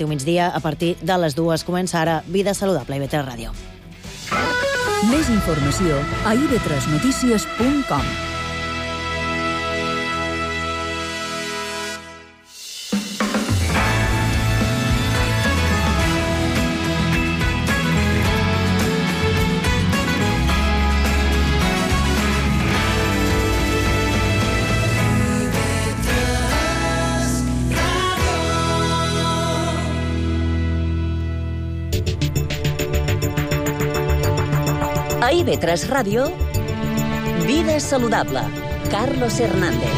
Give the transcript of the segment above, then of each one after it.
Informatiu Migdia, a partir de les 2 comença ara Vida Saludable a IB3 Ràdio. Més informació a ib3notícies.com. A IB3 Ràdio, Vida Saludable, Carlos Hernández.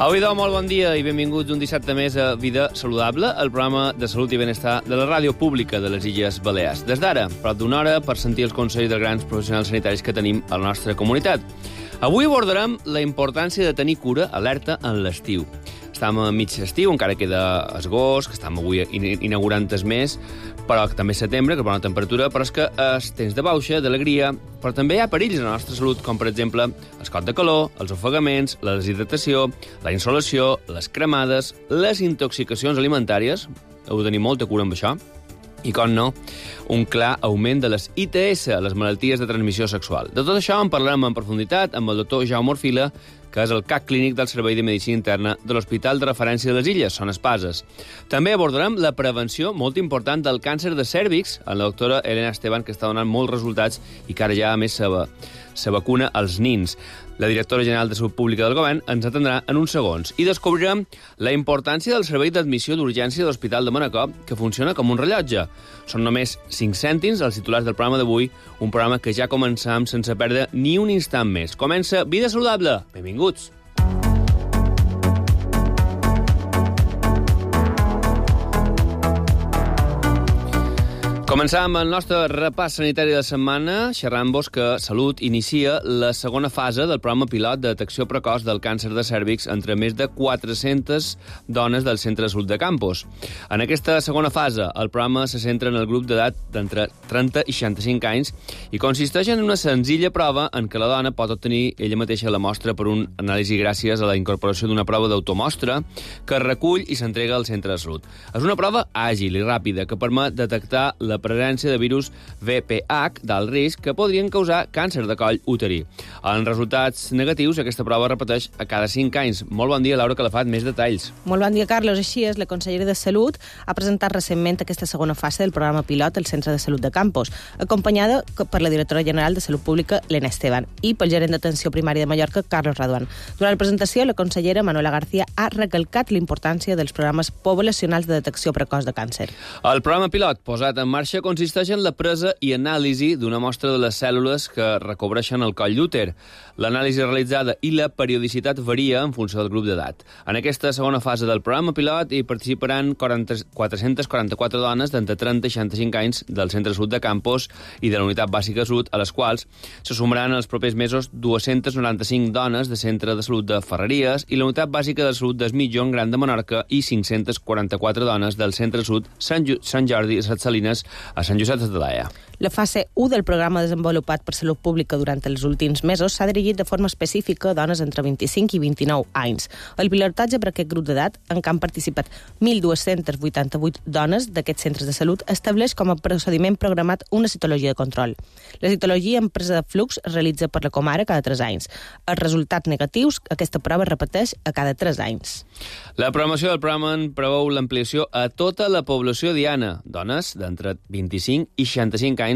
Au, idò, molt bon dia i benvinguts un dissabte més a Vida Saludable, el programa de salut i benestar de la ràdio pública de les Illes Balears. Des d'ara, prop d'una hora, per sentir els consells dels grans professionals sanitaris que tenim a la nostra comunitat. Avui abordarem la importància de tenir cura alerta en l'estiu. Estem a mig estiu, encara queda agost, que estem avui inaugurant el mes, però també setembre, que és bona temperatura, però és que és temps de bauxa, d'alegria, però també hi ha perills a la nostra salut, com per exemple el cot de calor, els ofegaments, la deshidratació, la insolació, les cremades, les intoxicacions alimentàries, heu de tenir molta cura amb això, i, com no, un clar augment de les ITS, les malalties de transmissió sexual. De tot això en parlarem en profunditat amb el doctor Jaume Orfila, que és el CAC clínic del Servei de Medicina Interna de l'Hospital de Referència de les Illes, Son Espases. També abordarem la prevenció molt important del càncer de cèrvix amb la doctora Elena Esteban, que està donant molts resultats i que ara ja, a més, se vacuna als nins. La directora general de Salut Pública del Govern ens atendrà en uns segons i descobrirem la importància del servei d'admissió d'urgència de l'Hospital de Manacor, que funciona com un rellotge. Són només 5 cèntims els titulars del programa d'avui, un programa que ja començam sense perdre ni un instant més. Comença Vida Saludable. Benvinguts. Començàvem el nostre repàs sanitari de la setmana xerrant-vos que Salut inicia la segona fase del programa pilot de detecció precoç del càncer de cèrvix entre més de 400 dones del Centre de Salut de Campos. En aquesta segona fase, el programa se centra en el grup d'edat d'entre 30 i 65 anys i consisteix en una senzilla prova en què la dona pot obtenir ella mateixa la mostra per un anàlisi gràcies a la incorporació d'una prova d'automostra que es recull i s'entrega al Centre de Salut. És una prova àgil i ràpida que permet detectar la presència de virus VPH d'alt risc que podrien causar càncer de coll uterí. En resultats negatius, aquesta prova repeteix a cada 5 anys. Molt bon dia, Laura Calafat, més detalls. Molt bon dia, Carlos. Així és, la consellera de Salut ha presentat recentment aquesta segona fase del programa pilot al Centre de Salut de Campos, acompanyada per la directora general de Salut Pública, Elena Esteban, i pel gerent d'atenció primària de Mallorca, Carlos Raduan. Durant la presentació, la consellera Manuela García ha recalcat la importància dels programes poblacionals de detecció precoç de càncer. El programa pilot posat en marxa consisteix en la presa i anàlisi d'una mostra de les cèl·lules que recobreixen el coll d'úter. L'anàlisi realitzada i la periodicitat varia en funció del grup d'edat. En aquesta segona fase del programa pilot hi participaran 444 dones d'entre 30 i 65 anys del Centre de Salut de Campos i de la Unitat Bàsica de Salut, a les quals se sumaran els propers mesos 295 dones de Centre de Salut de Ferreries i la Unitat Bàsica de Salut del Mitjón Gran de Menorca i 544 dones del Centre de Salut Sant Jordi i Set Salines a Sant Josep de Talaia. La fase 1 del programa desenvolupat per Salut Pública durant els últims mesos s'ha dirigit de forma específica a dones entre 25 i 29 anys. El pilotatge per aquest grup d'edat, en què han participat 1.288 dones d'aquests centres de salut, estableix com a procediment programat una citologia de control. La citologia en presa de flux es realitza per la comare cada 3 anys. Els resultats negatius, aquesta prova es repeteix a cada 3 anys. La programació del programa preveu l'ampliació a tota la població diana, dones d'entre 25 i 65 anys,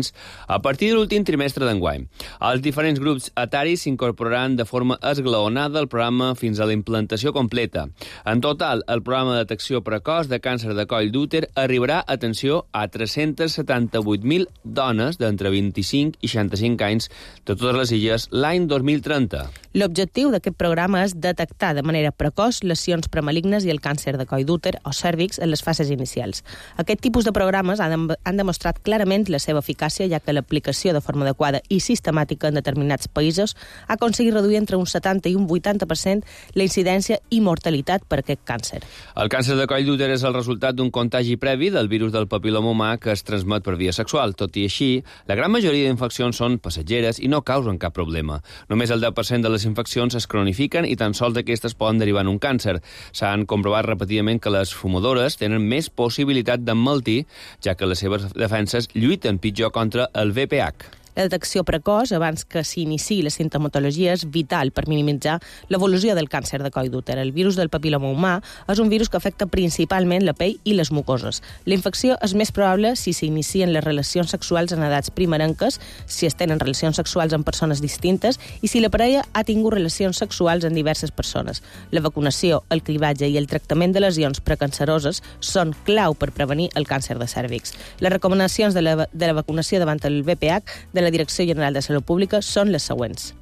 a partir de l'últim trimestre d'enguany. Els diferents grups etaris s'incorporaran de forma esglaonada al programa fins a la implantació completa. En total, el programa de detecció precoç de càncer de coll d'úter arribarà, atenció, a 378.000 dones d'entre 25 i 65 anys de totes les illes l'any 2030. L'objectiu d'aquest programa és detectar de manera precoç lesions premalignes i el càncer de coll d'úter o cèrvix en les fases inicials. Aquest tipus de programes han demostrat clarament la seva eficàcia eficàcia, ja que l'aplicació de forma adequada i sistemàtica en determinats països ha aconseguit reduir entre un 70 i un 80% la incidència i mortalitat per aquest càncer. El càncer de coll d'úter és el resultat d'un contagi previ del virus del papil·loma humà que es transmet per via sexual. Tot i així, la gran majoria d'infeccions són passatgeres i no causen cap problema. Només el 10% de les infeccions es cronifiquen i tan sols d'aquestes poden derivar en un càncer. S'han comprovat repetidament que les fumadores tenen més possibilitat d'emmalaltir, ja que les seves defenses lluiten pitjor contra el VPH. La detecció precoç, abans que s'iniciï la sintomatologia, és vital per minimitzar l'evolució del càncer de coll d'úter. El virus del papil·loma humà és un virus que afecta principalment la pell i les mucoses. La infecció és més probable si s'inicien les relacions sexuals en edats primerenques, si es tenen relacions sexuals amb persones distintes i si la parella ha tingut relacions sexuals amb diverses persones. La vacunació, el cribatge i el tractament de lesions precanceroses són clau per prevenir el càncer de cèrvix. Les recomanacions de la vacunació davant el VPH de la Direcció General de Salut Pública són les següents.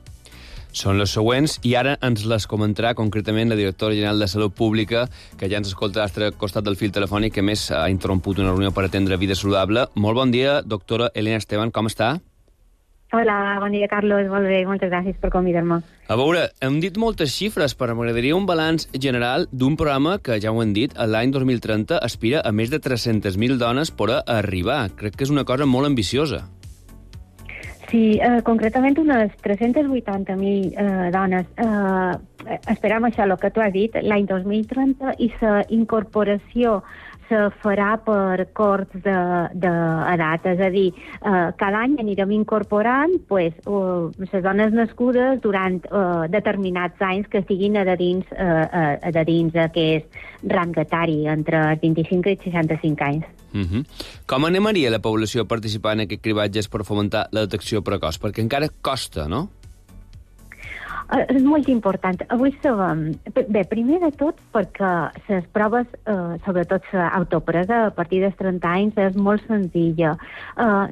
Són les següents i ara ens les comentarà concretament la directora general de Salut Pública, que ja ens escolta a l'altre costat del fil telefònic, que més ha interromput una reunió per atendre Vida Saludable. Molt bon dia, doctora Elena Esteban, com està? Hola, bon dia, Carlos. Molt bé, moltes gràcies per convidar-me. A veure, hem dit moltes xifres, però m'agradaria un balanç general d'un programa que, ja ho hem dit, l'any 2030 aspira a més de 300.000 dones per arribar. Crec que és una cosa molt ambiciosa. Sí, concretament unes 380.000 dones. Esperam això, el que tu has dit, l'any 2030, i la incorporació se farà per corts d'edat, és a dir, cada any anirem incorporant les dones nascudes durant determinats anys que estiguin adherents a aquest rang etari, entre els 25 i 65 anys. Com animaria la població a participar en aquest cribatge per fomentar la detecció precoç? Perquè encara costa, no? És molt important. Avui sabem... Bé, primer de tot perquè les proves, sobretot l'autopresa a partir dels 30 anys, és molt senzilla.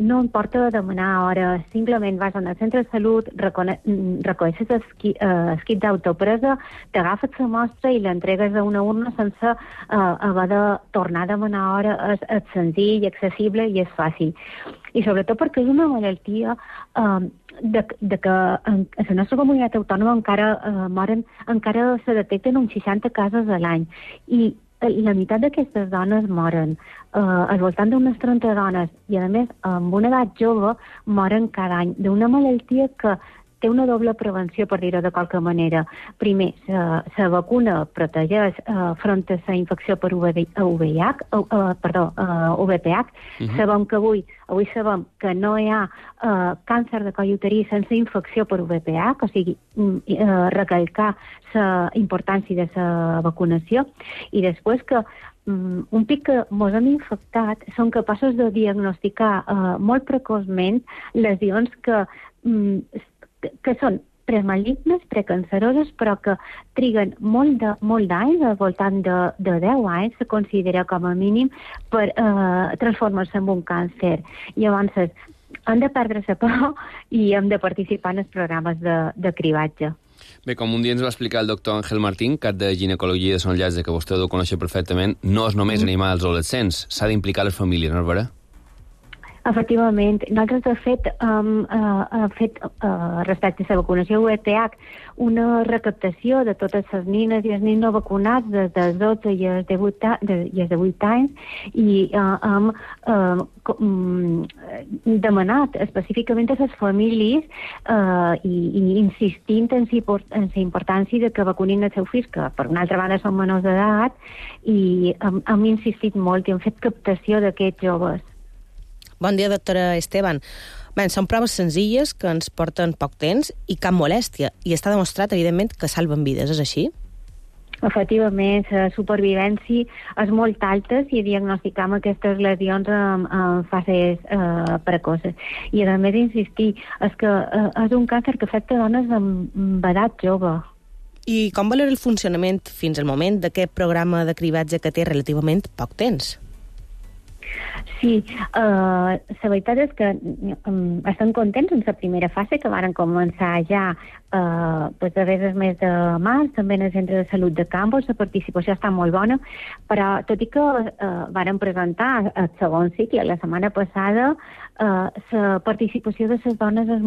No importa demanar hores, simplement vas al centre de salut, reconeixes el kit d'autopresa, t'agafes la mostra i l'entregues a una urna sense haver de tornar a demanar hora. És senzill, accessible i és fàcil. I sobretot perquè és una malaltia de que en la nostra comunitat autònoma encara se detecten uns 60 casos a l'any i la meitat d'aquestes dones moren. Al voltant d'unes 30 dones i a més amb una edat jove moren cada any d'una malaltia que té una doble prevenció, per dir-ho de qualque manera. Primer, la vacuna protegeix front a la infecció per VPH. Sabem que avui sabem que no hi ha càncer de coll uterí sense infecció per VPH, o sigui, recalcar la importància de la vacunació. I després que un pic que ens han infectat són capaços de diagnosticar molt precoçment lesions que són premalignes, precanceroses, però que triguen molt d'anys, al voltant de 10 anys, se considera com a mínim, per transformar-se en un càncer. I llavors hem de perdre la por i hem de participar en els programes de cribatge. Bé, com un dia ens va explicar el doctor Ángel Martín, cap de ginecologia de Sant Llàtzer, que vostè ho coneix perfectament, no és només animar els adolescents, s'ha d'implicar les famílies, no és vera? Efectivament. Nosaltres, de fet, hem fet, respecte a la vacunació VPH, una recaptació de totes les nines i els nins no vacunats des dels 12 i els de 8 anys i hem demanat específicament a les famílies i insistint en la importància de que vacunin els seus fills, que per una altra banda són menors d'edat, i hem insistit molt i hem fet captació d'aquests joves. Bon dia, doctora Esteban. Bé, són proves senzilles que ens porten poc temps i cap molèstia, i està demostrat, evidentment, que salven vides, és així? Efectivament, la supervivència és molt alta si diagnosticam aquestes lesions en fases precoces. I a més insistir, és que és un càncer que afecta dones amb edat jove. I com valora el funcionament fins al moment d'aquest programa de cribatge que té relativament poc temps? Sí, la veritat és que estem contents en la primera fase, que varen començar ja darrere del mes de març, també en el centre de salut de Campos. La participació està molt bona, però tot i que varen presentar el segon cicle la setmana passada, la participació de les dones és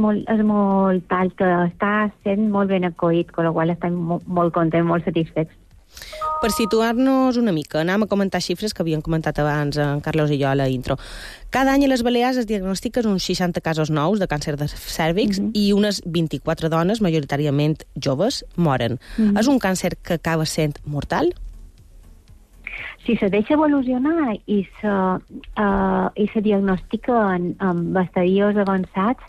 molt tal, que està sent molt ben acollit, amb la qual estem molt contents, molt satisfets. Per situar-nos una mica, anem a comentar xifres que havien comentat abans en Carlos i jo a la intro. Cada any a les Balears es diagnostiquen uns 60 casos nous de càncer de cèrvix i unes 24 dones, majoritàriament joves, moren. És un càncer que acaba sent mortal? Si se deixa evolucionar i se diagnostica en estadios avançats,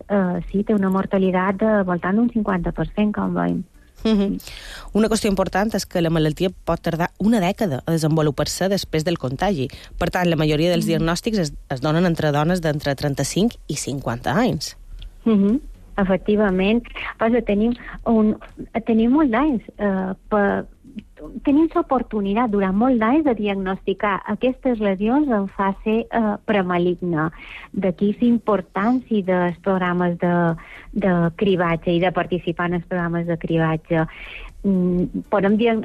sí, té una mortalitat de voltant d'un 50%, com veiem. Una qüestió important és que la malaltia pot tardar una dècada a desenvolupar-se després del contagi. Per tant, la majoria dels diagnòstics es donen entre dones d'entre 35 i 50 anys. Efectivament. Tenim molts anys tenim l'oportunitat durant molts anys de diagnosticar aquestes lesions en fase premaligna. D'aquí la importància dels programes de cribatge i de participar en els programes de cribatge. Podem dir en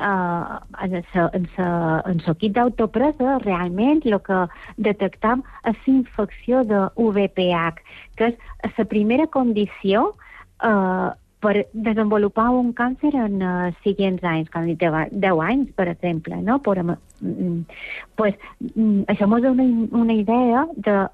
l'equip d'autopresa realment el que detectam és la infecció de VPH, que és la primera condició per desenvolupar un càncer en següents anys, com 10 anys, per exemple, no? Això ens dona una idea de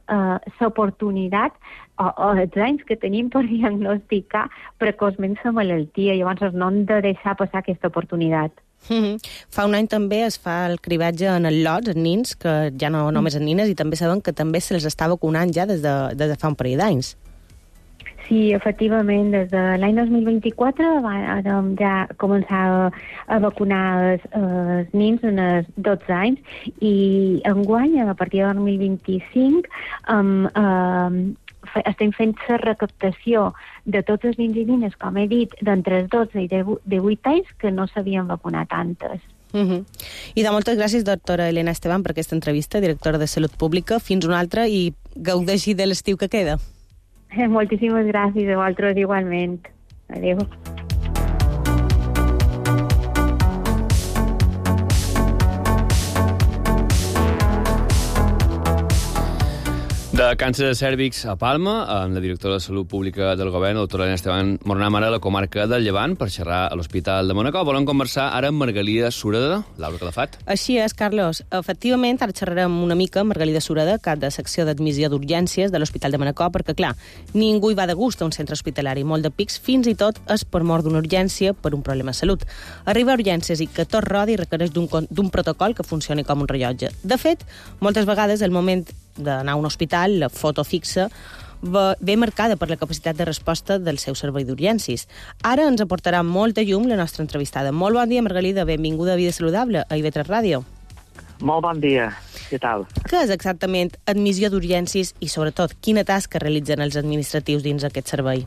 l'oportunitat o els anys que tenim per diagnosticar precoçment la malaltia. Llavors no hem de deixar passar aquesta oportunitat. Fa un any també es fa el cribatge en el lot, en nins, que ja no només en nines, i també sabem que també se'ls està vacunant ja des de fa un parell d'anys. Sí, efectivament, des de l'any 2024 vam ja començar a vacunar els nins en els 12 anys i enguany, a partir del 2025, estem fent la recaptació de tots els nins i nines, com he dit, d'entre els 12 i 18 anys que no s'havien vacunat antes. I de moltes gràcies, doctora Elena Esteban, per aquesta entrevista, directora de Salut Pública. Fins una altra i gaudeixi de l'estiu que queda. Moltíssimes gràcies, a vosaltres igualment. Adéu. De càncer de cèrvix a Palma, amb la directora de Salut Pública del Govern, la doctora Elena Esteban, mornem ara a la comarca del Llevant per xerrar a l'Hospital de Manacor. Volem conversar ara amb Margalida Sureda. Laura Calafat. Així és, Carlos. Efectivament, ara xerrarem una mica amb Margalida Sureda, cap de secció d'admissió d'urgències de l'Hospital de Manacor, perquè, clar, ningú hi va de gust a un centre hospitalari. Molt de pics, fins i tot és per mort d'una urgència per un problema de salut. Arriba a urgències i que tot rodi requereix d'un protocol que funcioni com un rellotge. De fet, moltes vegades el moment d'anar a un hospital, la foto fixa, ve marcada per la capacitat de resposta del seu servei d'urgències. Ara ens aportarà molta llum la nostra entrevistada. Molt bon dia, Margalida. Benvinguda a Vida Saludable, a IB3 Ràdio. Molt bon dia. Què tal? Què és exactament admissió d'urgències i, sobretot, quina tasca realitzen els administratius dins aquest servei?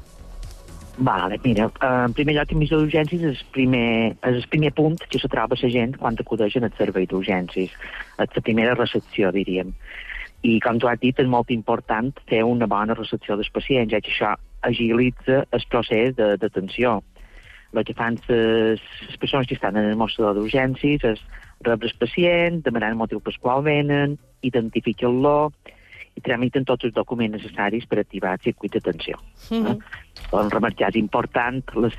Vale, mira, en primer lloc, admissió d'urgències és el primer punt que se troba la gent quan acudeix en el servei d'urgències. És la primera recepció, diríem. I, com tu has dit, és molt important fer una bona recepció dels pacients, ja que això agilitza el procés d'atenció. El que fan les persones que estan en el mostrador d'urgències és rebre el pacient, demanar el motiu pel qual venen, identificar-lo i tramiten tots els documents necessaris per activar el circuit d'atenció. En remarcar és important la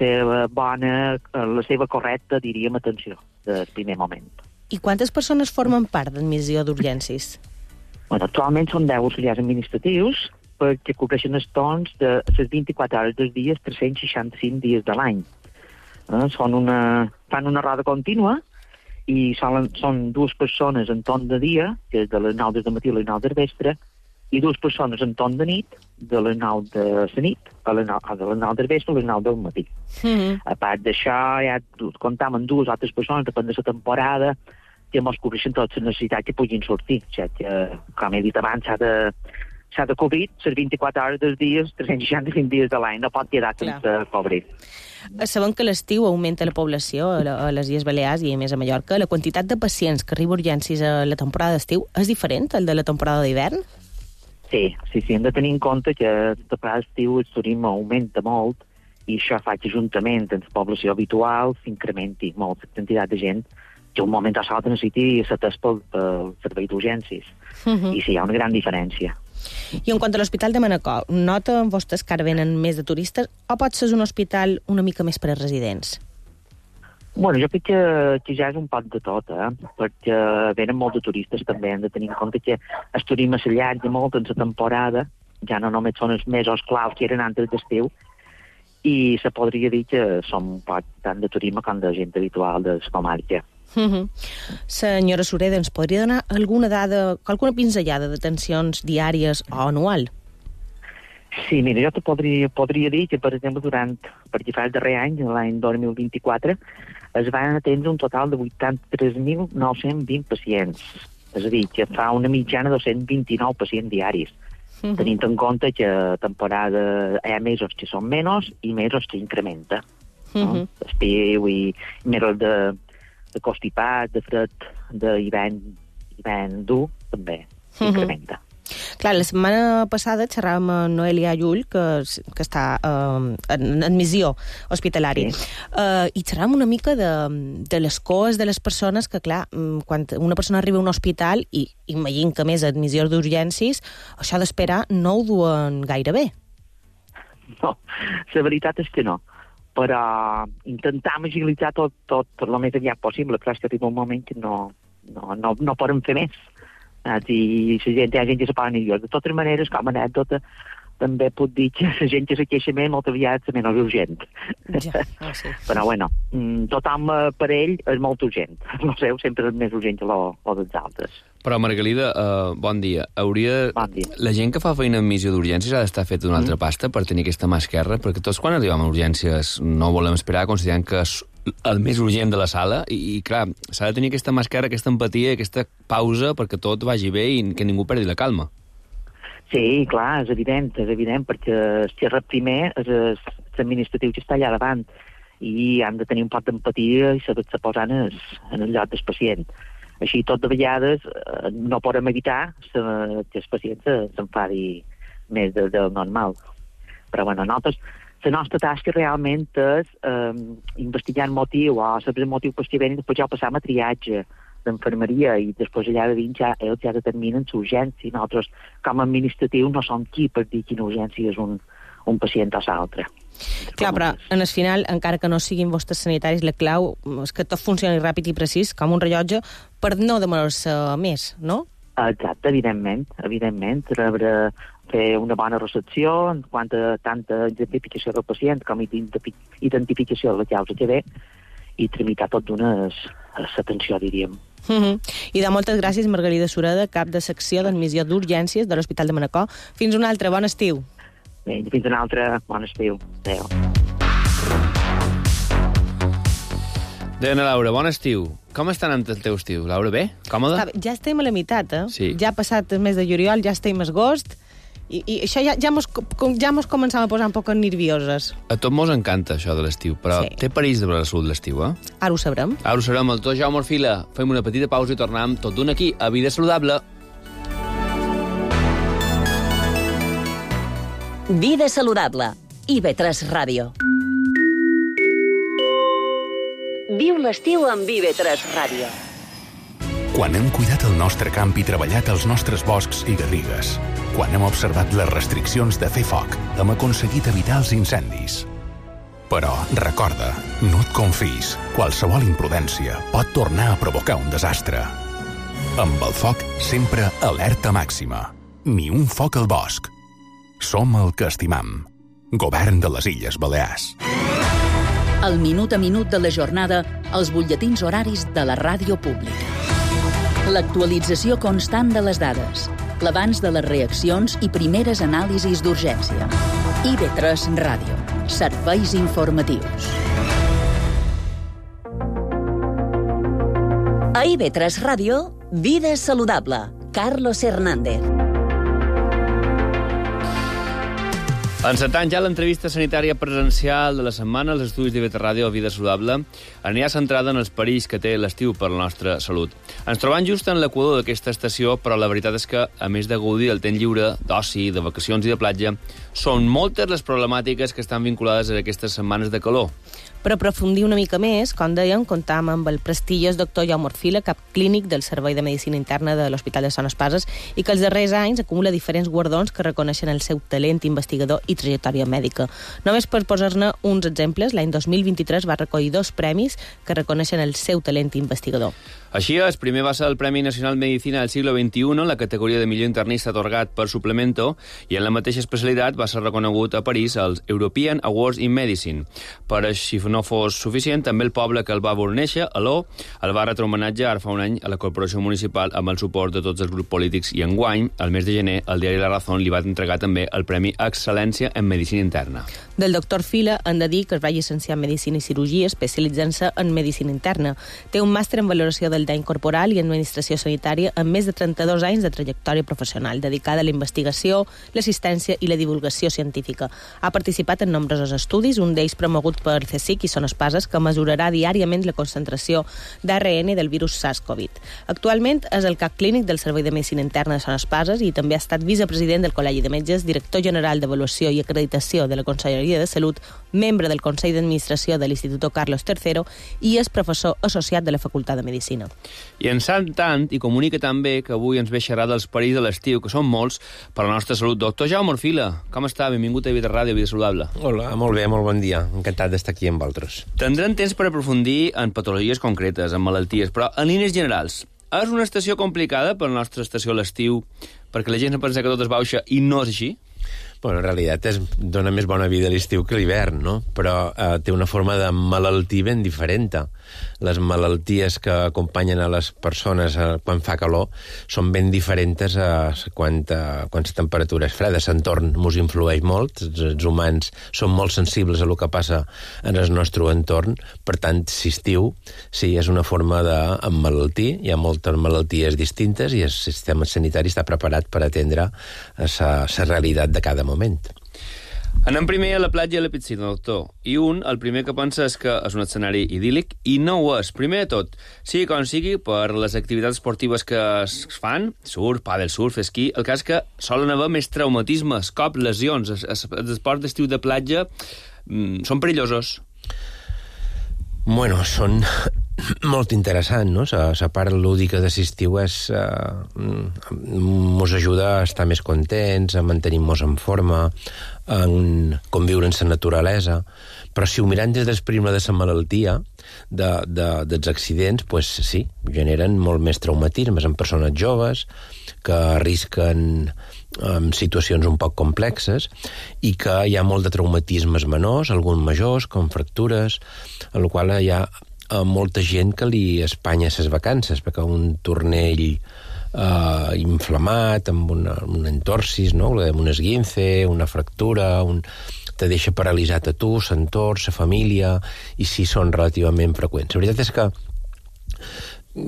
seva correcta, diríem, atenció del primer moment. I quantes persones formen part d'admissió d'urgències? Bueno, actualment són 10 auxiliars administratius perquè cobreixen els torns de les 24 hores dels dies, 365 dies de l'any. Fan una roda contínua i són 2 persones en torn de dia, que és de les 9 del matí a les 9 del vespre, i 2 persones en torn de nit, de les 9 de la nit a les 9 del vespre a les 9 del matí. A part d'això, ja comptam amb 2 altres persones, depèn de la temporada, que ens cobreixen totes les necessitats que puguin sortir, ja que, com he dit abans, s'ha s'ha de cobrir les 24 hores dels dies, 365 dies de l'any, no pot quedar sense cobrir. Sabem que l'estiu augmenta la població a les Illes Balears i a més a Mallorca. La quantitat de pacients que arriba a urgències a la temporada d'estiu és diferent al de la temporada d'hivern? Sí, hem de tenir en compte que la temporada d'estiu el turisme augmenta molt i això fa que juntament amb la població habitual s'incrementi molt la quantitat de gent que un moment o l'altre necessiti ser atès pel servei d'urgències. I sí, hi ha una gran diferència. I en quant a l'Hospital de Manacor, noten vostès que ara venen més de turistes o pot ser un hospital una mica més per a residents? Bueno, jo crec que ja és un poc de tot, perquè venen molt de turistes també, hem de tenir en compte que el turisme s'allarga molt en la temporada, ja no només són els mesos claus que eren antes d'estiu, i se podria dir que som un poc tant de turisme com de gent habitual de la comarca. Senyora Sureda, ens podria donar alguna dada, alguna pinzellada de tensions diàries o anual? Sí, mira, jo te podria dir que, per exemple, perquè fa el darrer any, l'any 2024, es van atendre un total de 83.920 pacients. És a dir, que fa una mitjana de 229 pacients diaris. Tenint en compte que a temporada hi ha mesos que són menys i mesos que incrementa. Estiu i mesos de constipat, de fred, d'hivern dur, també incrementa. Clar, la setmana passada xerràvem amb Noelia Llull, que està en admissió hospitalària, i xerràvem una mica de les coes de les persones que, clar, quan una persona arriba a un hospital, i imagino que més admissions d'urgències, això d'esperar no ho duen gaire bé. No, la veritat és que no. Però intentam agilitzar tot el més aviat possible. Clar, és que arriba un moment que no podem fer més. I hi ha gent que se posa nerviosa. De totes maneres, com a anècdota, també puc dir que la gent que se queixa més molt aviat és menys urgent. Ja, sí. Però bueno, tothom per ell és molt urgent. No sé, sempre és més urgent que dels altres. Però, Margalida, bon dia. Bon dia. La gent que fa feina en missió d'urgències ha d'estar feta d'una altra pasta per tenir aquesta mà esquerra, perquè tots quan arribem a urgències no volem esperar, considerant que és el més urgent de la sala, i clar, s'ha de tenir aquesta mà esquerra, aquesta empatia, aquesta pausa perquè tot vagi bé i que ningú perdi la calma. Sí, clar, és evident, perquè si rep primer és l'administratiu que està allà davant i han de tenir un poc d'empatia i saber-se posar en el lloc del pacient. Així, tot de vegades, no podem evitar que el pacient s'enfadi més del normal. Però, bueno, la nostra tasca realment és investigar el motiu o saber el motiu per què venen, després ja ho passam a triatge d'enfermeria i després allà de dins ells ja determinen l'urgència. Nosaltres, com a administratiu, no som qui per dir quina urgència és un pacient o l'altre. Clar, però en el final, encara que no siguin vostres sanitaris, la clau és que tot funcioni ràpid i precís, com un rellotge, per no demorar-se més, no? Exacte, evidentment. Fer una bona recepció en quant a tanta identificació del pacient com identificació de la causa que ve i tramitar tot d'una atenció, diríem. I moltes gràcies, Margalida Sureda, cap de secció d'admissió d'urgències de l'Hospital de Manacor. Fins un altre, bon estiu. Bé, fins un altre, bon estiu. Adéu. Diana Laura, bon estiu. Com està anant el teu estiu? Laura, bé? Còmode? Ja estem a la meitat, Sí. Ja ha passat el mes de juliol, ja estem a agost, i això ja mos començam a posar un poc nervioses. A tot mos encanta això de l'estiu, però Sí. té perills de la salut l'estiu, eh? Ara ho sabrem. Ara ho serem, el tot Jaume Orfila. Fem una petita pausa i tornem tot d'un aquí, a Vida Saludable. Vida saludable. IB3 Ràdio. Viu l'estiu amb IB3 Ràdio. Quan hem cuidat el nostre camp i treballat els nostres boscs i garrigues, quan hem observat les restriccions de fer foc, hem aconseguit evitar els incendis. Però, recorda, no et confis. Qualsevol imprudència pot tornar a provocar un desastre. Amb el foc, sempre alerta màxima. Ni un foc al bosc. Som el que estimam. Govern de les Illes Balears. El minut a minut de la jornada, els butlletins horaris de la ràdio pública. L'actualització constant de les dades, l'abans de les reaccions i primeres anàlisis d'urgència. IB3 Ràdio. Serveis informatius. A IB3 Ràdio, Vida saludable. Carlos Hernández. Encetant ja l'entrevista sanitària presencial de la setmana als estudis d'IV3 Ràdio Vida Saludable, anirà centrada en els perills que té l'estiu per la nostra salut. Ens trobem just en l'equador d'aquesta estació, però la veritat és que, a més de gaudir del temps lliure, d'oci, de vacacions i de platja, són moltes les problemàtiques que estan vinculades a aquestes setmanes de calor. Per aprofundir una mica més, com dèiem, comptam amb el prestigiós doctor Jaume Orfila, cap clínic del Servei de Medicina Interna de l'Hospital de Son Espases, i que els darrers anys acumula diferents guardons que reconeixen el seu talent investigador i trajectòria mèdica. Només per posar-ne uns exemples, l'any 2023 va recollir 2 premis que reconeixen el seu talent investigador. Així és, primer va ser el Premi Nacional Medicina del Siglo XXI, la categoria de millor internista atorgat per Suplemento, i en la mateixa especialitat va ser reconegut a París als European Awards in Medicine. Per si no fos suficient, també el poble que el va veure néixer, Aló, el va retre homenatge ara fa un any a la Corporació Municipal amb el suport de tots els grups polítics, i enguany, al mes de gener, el diari La Razón li va entregar també el Premi Excel·lència en Medicina Interna. Del doctor Fila han de dir que es va llicenciar en Medicina i Cirurgia, especialitzant-se en Medicina Interna. Té un màster en valoració del dany corporal i administració sanitària amb més de 32 anys de trajectòria professional, dedicada a la investigació, l'assistència i la divulgació científica. Ha participat en nombrosos estudis, un d'ells promogut per CSIC i Son Espases, que mesurarà diàriament la concentració d'ARN del virus SARS-CoV. Actualment és el cap clínic del Servei de Medicina Interna de Son Espases i també ha estat vicepresident del Col·legi de Metges, director general d'Avaluació i Acreditació de la Conselleria de Salut, membre del Consell d'Administració de l'Institut Carlos III i és professor associat de la Facultat de Medicina. I en tant i comunica també que avui ens ve xerrar dels perills de l'estiu, que són molts per a la nostra salut. Doctor Jaume Orfila, com està? Benvingut a IV3 Ràdio, Vida Saludable. Hola, molt bé, molt bon dia. Encantat d'estar aquí amb vosaltres. Tindrem temps per aprofundir en patologies concretes, en malalties, però en línies generals, és una estació complicada per la nostra estació a l'estiu, perquè la gent pensa que tot es baixa i no és així? Bueno, en realitat dona més bona vida a l'estiu que a l'hivern, no? Però té una forma de malaltir ben diferent. Les malalties que acompanyen a les persones quan fa calor són ben diferents a quan la temperatura és freda. L'entorn ens influeix molt, els humans són molt sensibles a el que passa en el nostre entorn, per tant, si estiu, sí, és una forma d'emmalaltir, hi ha moltes malalties distintes i el sistema sanitari està preparat per atendre la realitat de cada moment. Anem primer a la platja i a la piscina, doctor. I el primer que pensa és que és un escenari idíl·lic i no ho és. Primer de tot, sigui com sigui, per les activitats esportives que es fan, surf, pàdel, surf, esquí, el cas que solen haver més traumatismes, cops, lesions. Els esports d'estiu de platja són perillosos. Bueno, són molt interessant, no? La part lúdica de l'estiu ens ajuda a estar més contents, a mantenir-nos en forma, a conviure en la naturalesa, però si ho mirem des del prisma de la malaltia, dels accidents, doncs sí, generen molt més traumatismes en persones joves que arrisquen situacions un poc complexes i que hi ha molt de traumatismes menors, alguns majors, com fractures, en la qual hi ha molta gent que li espanya les vacances, perquè un tornell inflamat, amb un entorsis, no? Un esguince, una fractura, te deixa paralitzat a tu, l'entorn, la família, i sí són relativament freqüents. La veritat és que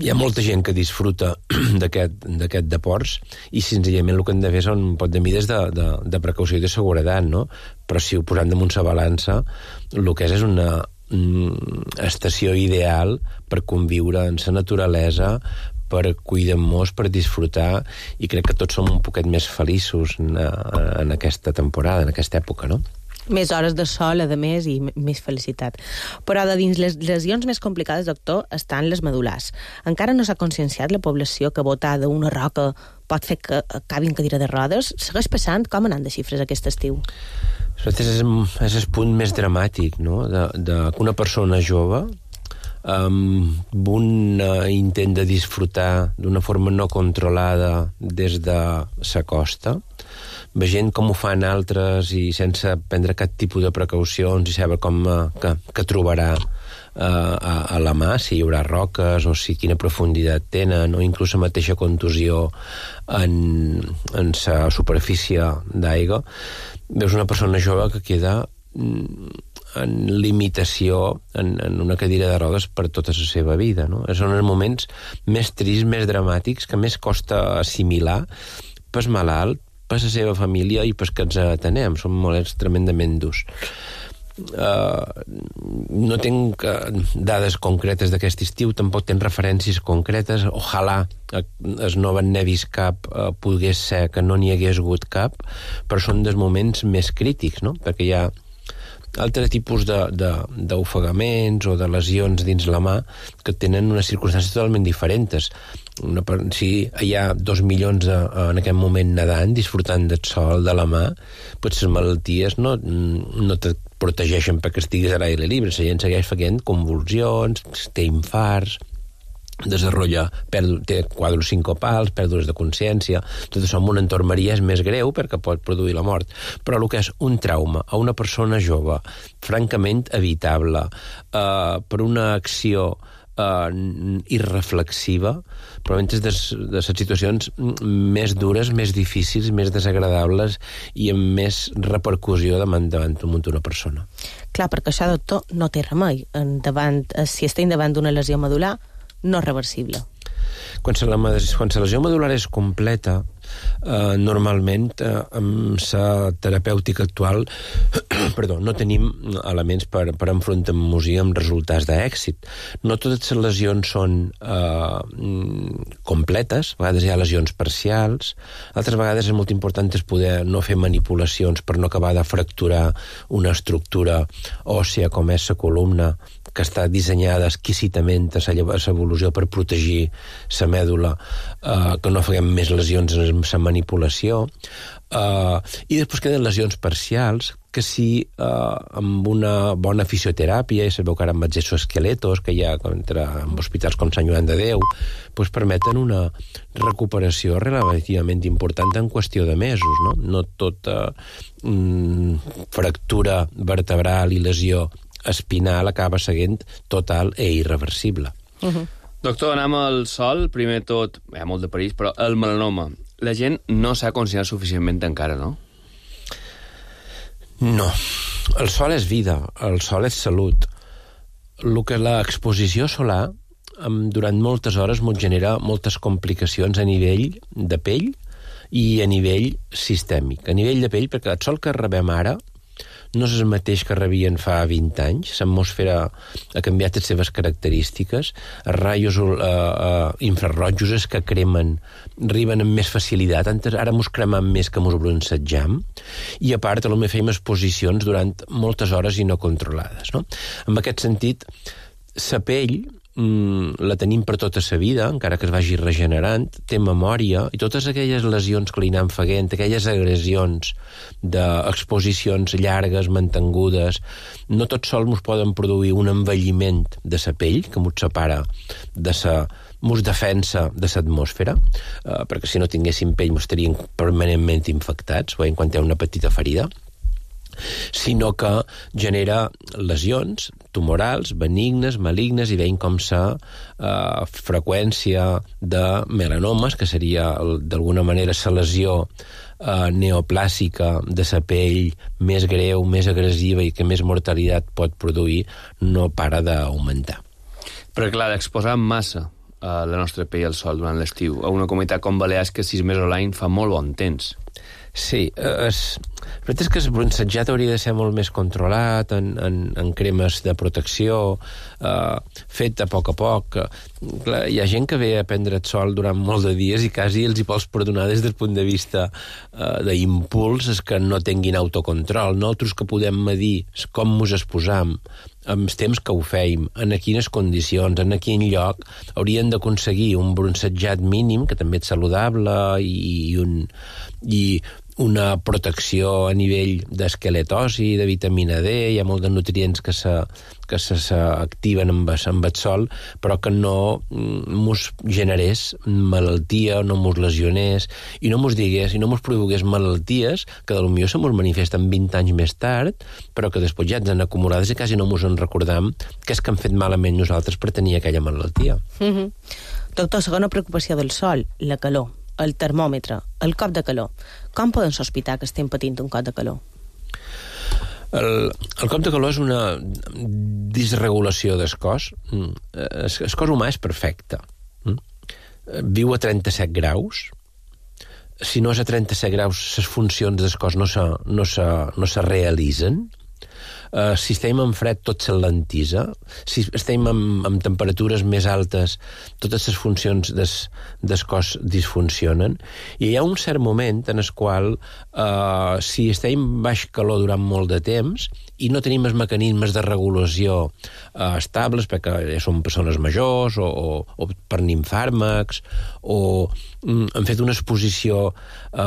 hi ha molta gent que disfruta d'aquest deports i senzillament el que hem de fer són un pot de mides de precaució i de seguretat, no? Però si ho posem damunt la balança, el que és una estació ideal per conviure en la naturalesa, per cuidar-nos, per disfrutar, i crec que tots som un poquet més feliços en aquesta temporada, en aquesta època, no? Més hores de sol, a més, i més felicitat. Però de dins les lesions més complicades, doctor, estan les medul·lars. Encara no s'ha conscienciat la població que botar d'una roca pot fer que acabi en cadira de rodes? Segueix passant? Com anant de xifres aquest estiu? És el punt més dramàtic, no? Que una persona jove amb un intent de disfrutar d'una forma no controlada des de la costa, veient com ho fan altres i sense prendre cap tipus de precaucions i saber com que trobarà a la mà, si hi haurà roques o si quina profunditat tenen, o inclús la mateixa contusió en la superfície d'aigua, veus una persona jove que queda en limitació en una cadira de rodes per tota la seva vida, no? Són els moments més tristos, més dramàtics, que més costa assimilar pel malalt, per la seva família i pels que ens atenem. Són molets tremendament durs. No tinc dades concretes d'aquest estiu, tampoc tinc referències concretes. Ojalà es no n'he vist cap, pogués ser que no n'hi hagués hagut cap, però són dels moments més crítics, no? Perquè hi ha altres tipus d'ofegaments o de lesions dins la mà que tenen unes circumstàncies totalment diferents. Si hi ha 2 milions en aquest moment nedant, disfrutant del sol, de la mà, doncs les malalties no te protegeixen perquè estiguis a l'aire lliure. La gent segueix fent convulsions, té infarts, té quadres sincopals, pèrdues de consciència. Tot això en un entorn és més greu perquè pot produir la mort. Però el que és un trauma a una persona jove, francament evitable, per una acció irreflexiva, probablement és de les situacions més dures, més difícils, més desagradables i amb més repercussió davant d'una persona. Clar, perquè això, doctor, no té remei. Si estem davant d'una lesió medular, no reversible. Quan la lesió medular és completa, normalment amb la terapèutica actual no tenim elements per enfrontar-nos-hi amb resultats d'èxit. No totes les lesions són completes, a vegades hi ha lesions parcials, altres vegades és molt important poder no fer manipulacions per no acabar de fracturar una estructura òssia com és la columna, que està dissenyada exquisitament a l'evolució per protegir la mèdula, que no fem més lesions en la manipulació. I després queden lesions parcials que amb una bona fisioteràpia, i sabeu que ara amb els exoesqueletos que hi ha en hospitals com Sant Joan de Déu, permeten una recuperació relativament important en qüestió de mesos. No tota fractura vertebral i lesió espinal acaba seguint total e irreversible. Doctor, anem al sol. Primer tot, hi ha molt de perills, però el melanoma. La gent no s'ha conscienciat suficientment encara, no? No. El sol és vida, el sol és salut. El que l'exposició solar durant moltes hores ens genera moltes complicacions a nivell de pell i a nivell sistèmic. A nivell de pell, perquè el sol que rebem ara no és el mateix que rebien fa 20 anys. L'atmosfera ha canviat les seves característiques. Els raios infrarrojos és que cremen, arriben amb més facilitat. Ara mos cremam més que mos bronzejam. I a part, potser feim exposicions durant moltes hores i no controlades. No? En aquest sentit, la pell la tenim per tota la vida, encara que es vagi regenerant, té memòria, i totes aquelles lesions que li anem fent, aquelles agressions d'exposicions llargues, mantengudes, no tot sol ens poden produir un envelliment de la pell, que ens separa ens defensa de l'atmosfera, perquè si no tinguéssim pell estaríem permanentment infectats, quan hi ha una petita ferida, sinó que genera lesions tumorals, benignes, malignes, i veiem com la freqüència de melanomes, que seria d'alguna manera la lesió neoplàsica de la pell més greu, més agressiva i que més mortalitat pot produir, no para d'augmentar. Però clar, exposar massa la nostra pell al sol durant l'estiu a una comunitat com Balears, que 6 mesos a l'any fa molt bon temps. Sí, la veritat és que el bronzejat hauria de ser molt més controlat en cremes de protecció, fet a poc. Clar, hi ha gent que ve a prendre el sol durant molt de dies i quasi els hi pots perdonar des del punt de vista d'impuls és que no tinguin autocontrol. Nosaltres que podem medir com ens exposam, amb els temps que ho feim, en quines condicions, en quin lloc, haurien d'aconseguir un bronzejat mínim, que també és saludable, i una protecció a nivell d'esqueletosi, de vitamina D, hi ha molts de nutrients que s'activen amb el sol, però que no mos generés malaltia, no mos lesionés, i no mos digués, i no mos produgués malalties que potser se mos manifesten 20 anys més tard, però que després ja ens han acumulades i quasi no mos en recordam que és que hem fet malament nosaltres per tenir aquella malaltia. Doctor, segona preocupació del sol, la calor. El termòmetre, el cop de calor. Com podem sospitar que estem patint un cop de calor? El cop de calor és una disregulació del cos. El cos humà és perfecte. Viu a 37 graus. si no és a 37 graus, les funcions del cos no se realitzen. Si estem en fred, tot s'alentisa. Si estem en temperatures més altes, totes les funcions del cos disfuncionen. I hi ha un cert moment en el qual, si estem baix calor durant molt de temps i no tenim els mecanismes de regulació estables, perquè som persones majors o prenim fàrmacs o hem fet una exposició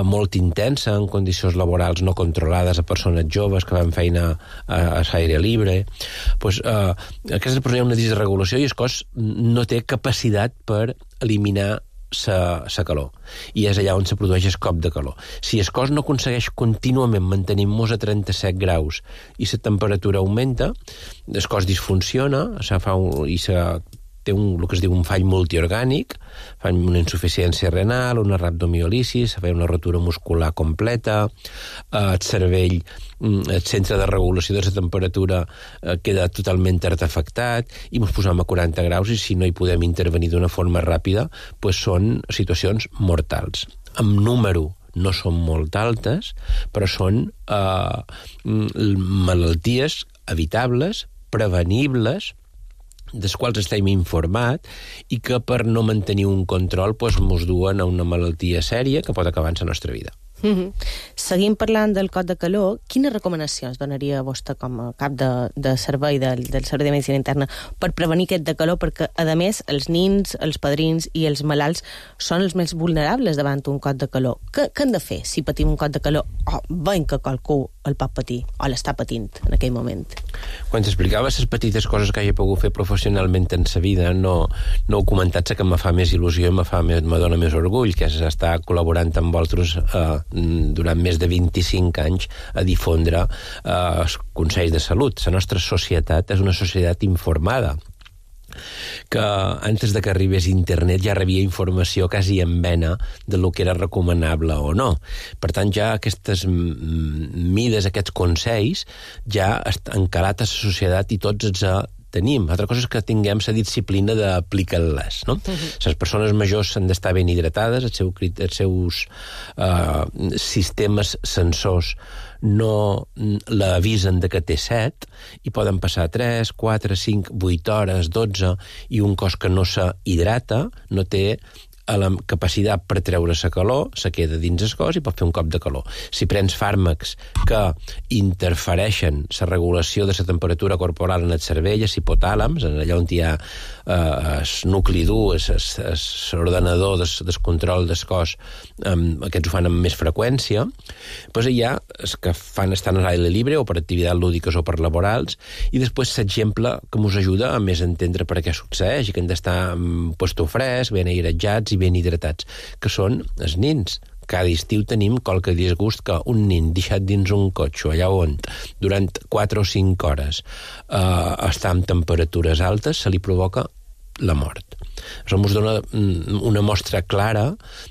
molt intensa en condicions laborals no controlades a persones joves que van feina a l'aire libre, doncs aquesta persona hi ha una disregulació i el cos no té capacitat per eliminar la calor. I és allà on se produeix el cop de calor. Si el cos no aconsegueix contínuament mantenir-nos a 37 graus i la temperatura augmenta, el cos disfunciona i té el que es diu un fall multiorgànic, fa una insuficiència renal, una rhabdomiolisi, fa una rotura muscular completa, el cervell, el centre de regulació de la temperatura queda totalment artefactat i ens posem a 40 graus i si no hi podem intervenir d'una forma ràpida, doncs són situacions mortals. En número no són molt altes, però són malalties evitables, prevenibles, dels quals estem informat i que per no mantenir un control ens duen a una malaltia sèria que pot acabar en la nostra vida. Seguim parlant del cop de calor. Quines recomanacions donaria vostè com a cap de servei del Servei de Medicina Interna per prevenir aquest de calor? Perquè, a més, els nins, els padrins i els malalts són els més vulnerables davant un cop de calor. Què hem de fer si patim un cop de calor o veiem que qualcú el pot patir o l'està patint en aquell moment? Quan t'explicava les petites coses que hagi pogut fer professionalment en sa vida, no heu comentat que me fa més il·lusió i me dona més orgull, que és estar col·laborant amb vosaltres durant més de 25 anys a difondre els consells de salut. La nostra societat és una societat informada, que antes de que arribés internet ja rebia informació quasi en vena de lo que era recomanable o no. Per tant, ja aquestes mides, aquests consells, ja han calat a la societat i tots els tenim. Altra cosa és que tinguem la disciplina d'aplicar-les, no? Les persones majors han d'estar ben hidratades, els seus sistemes sensors no l'avisen de que té set i poden passar 3, 4, 5, 8 hores, 12 i un cos que no s'hidrata no té la capacitat per treure la calor, se queda dins el cos i pot fer un cop de calor. Si prens fàrmacs que interfereixen la regulació de la temperatura corporal en el cervell, els hipotàlams, allà on hi ha el nucli dur, l'ordenador del control del cos, aquests ho fan amb més freqüència, doncs hi ha els que estan a l'aire lliure o per activitats lúdiques o per laborals, i després l'exemple que ens ajuda a més entendre per què succeeix i que hem d'estar en puesto fresc, ben airetjats i ben hidratats, que són els nins. Cada estiu tenim qualque disgust que un nin deixat dins un cotxe allà on durant 4 o 5 hores està amb temperatures altes, se li provoca la mort. Això ens dona una mostra clara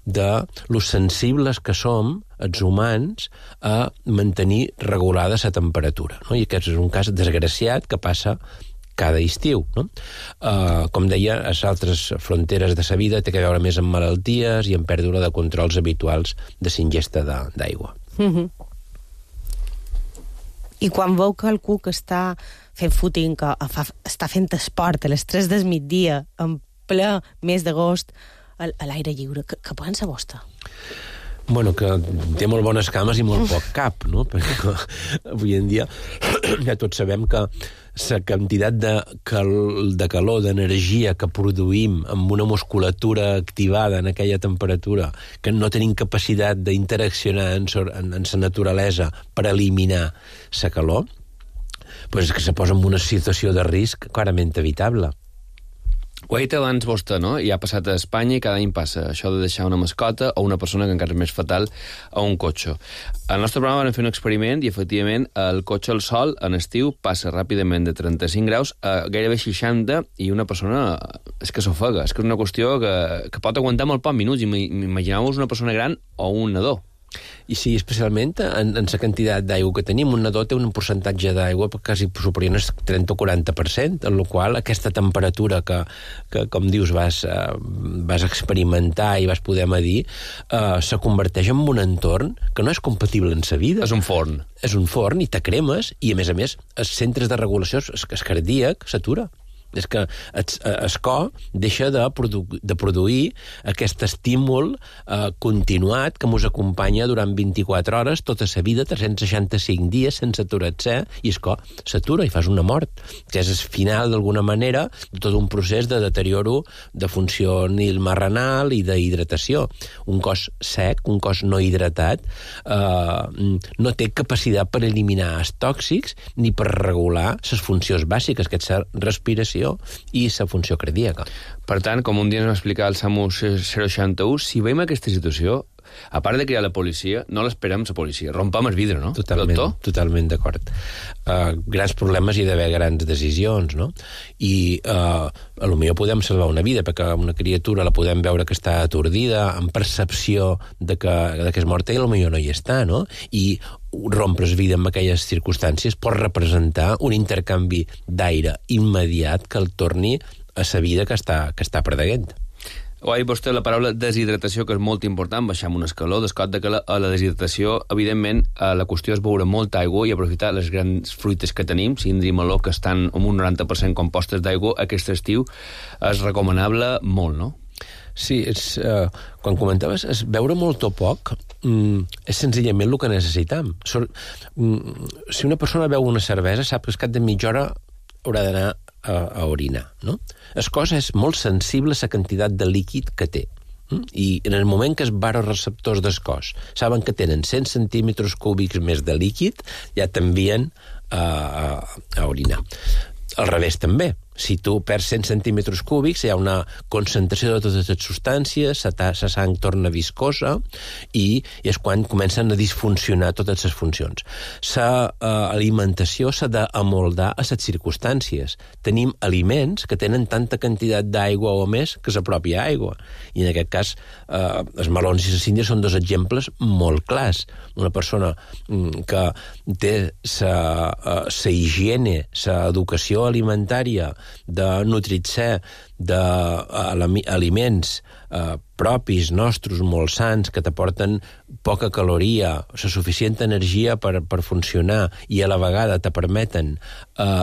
de lo sensibles que som els humans a mantenir regulada la temperatura, no? I aquest és un cas desgraciat que passa cada estiu, no? Com deia, a les altres fronteres de la vida té que veure més amb malalties i amb pèrdua de controls habituals de l'ingesta d'aigua. I quan veu que algú que està fent footing, que està fent esport a les 3 del migdia, en ple mes d'agost, a l'aire lliure, què pensa vostè? Bueno, que té molt bones cames i molt poc cap, no? Perquè avui en dia ja tots sabem que la quantitat de calor, d'energia que produïm amb una musculatura activada en aquella temperatura, que no tenim capacitat d'interaccionar en la naturalesa per eliminar la calor, doncs és que se posa en una situació de risc clarament evitable. Ho ha dit abans vostè, no? I ha passat a Espanya i cada any passa això de deixar una mascota o una persona que encara és més fatal a un cotxe. Al nostre programa vam fer un experiment i, efectivament, el cotxe al sol en estiu passa ràpidament de 35 graus a gairebé 60 i una persona és que s'ofega. És que és una qüestió que pot aguantar molt pocs minuts. Imagineu-vos una persona gran o un nadó. I sí, especialment en la quantitat d'aigua que tenim. Un nadó té un percentatge d'aigua quasi superior al 30 o 40%, en la qual aquesta temperatura que com dius, vas experimentar i vas poder medir, se converteix en un entorn que no és compatible amb la vida. És un forn. És un forn i te cremes, i a més, els centres de regulació, el cardíac, s'atura. És que el cor deixa de produir aquest estímul continuat que ens acompanya durant 24 hores, tota la vida, 365 dies sense aturar-se, i el cor s'atura i fas una mort, que és el final, d'alguna manera, de tot un procés de deterioro de funció renal i d'hidratació. Un cos sec, un cos no hidratat, no té capacitat per eliminar els tòxics ni per regular les funcions bàsiques, que és la respiració i la funció cardíaca. Per tant, com un dia ens va explicar el SAMU 061, si veiem aquesta situació, a part de crear la policia, no l'esperem la policia. Rompam el vidre, no? Totalment d'acord. Grans problemes i d'haver grans decisions, no? I potser podem salvar una vida, perquè una criatura la podem veure que està atordida, amb percepció de que és morta, i potser no hi està, no? I rompre's vida en aquelles circumstàncies pot representar un intercanvi d'aire immediat que el torni a la vida que està perdent. Ho ha dit vostè la paraula deshidratació, que és molt important, baixar un escaló, descot de que a la deshidratació, evidentment, la qüestió és beure molta aigua i aprofitar les grans fruites que tenim, cindra i meló, que estan amb un 90% compostes d'aigua, aquest estiu és recomanable molt, no? Sí, quan comentaves, beure molt o poc és senzillament el que necessitam. Si una persona beu una cervesa, sap que al cap de mitja hora haurà d'anar a orinar, no? El cos és molt sensible a la quantitat de líquid que té. I en el moment que els varoreceptors del cos saben que tenen 100 centímetres cúbics més de líquid, ja t'envien a orinar. Al revés també. Si tu perds 100 centímetres cúbics, hi ha una concentració de totes les substàncies, la sang torna viscosa i és quan comencen a disfuncionar totes les funcions. L'alimentació s'ha d'amoldar a les circumstàncies. Tenim aliments que tenen tanta quantitat d'aigua o més que la pròpia aigua. I en aquest cas, els melons i les síndries són dos exemples molt clars. Una persona que té la higiene, l'educació alimentària, de nutrir-se d'aliments propis, nostres, molt sans, que t'aporten poca caloria, la suficient energia per funcionar i a la vegada te permeten